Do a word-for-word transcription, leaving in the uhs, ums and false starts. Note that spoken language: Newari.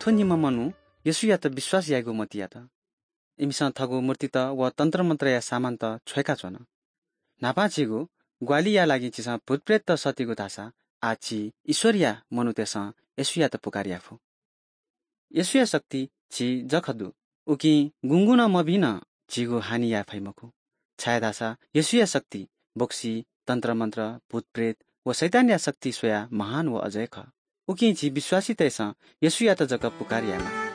थ्व निम्ह मनू येशूयात विश्वास यायेगु मतियात। इमिसं थःगु मूर्तित व तन्त्रमन्त्रया सामानत छ्वय्काच्वन। न्हापां झीगु ग्वाहालिया लागि झीसं भूतप्रेतत सःतीगु धाःसा आः झी ईश्वरया मनूतय्सं येशूयात पुकार याये फु। येशूया शक्ति झी जक दु, उकिं गुंगुं नं मभिं नं झीगु हानि याये फइ मखु, छाय्धाःसा येशूया शक्ति बोक्सी, तन्त्रमन्त्र, भूतप्रेत व शैतानया शक्ति स्वयाः महान व अजय खः। उकिं झी विश्वासीतय्सं येशूयात जक पुकार यायेमाः।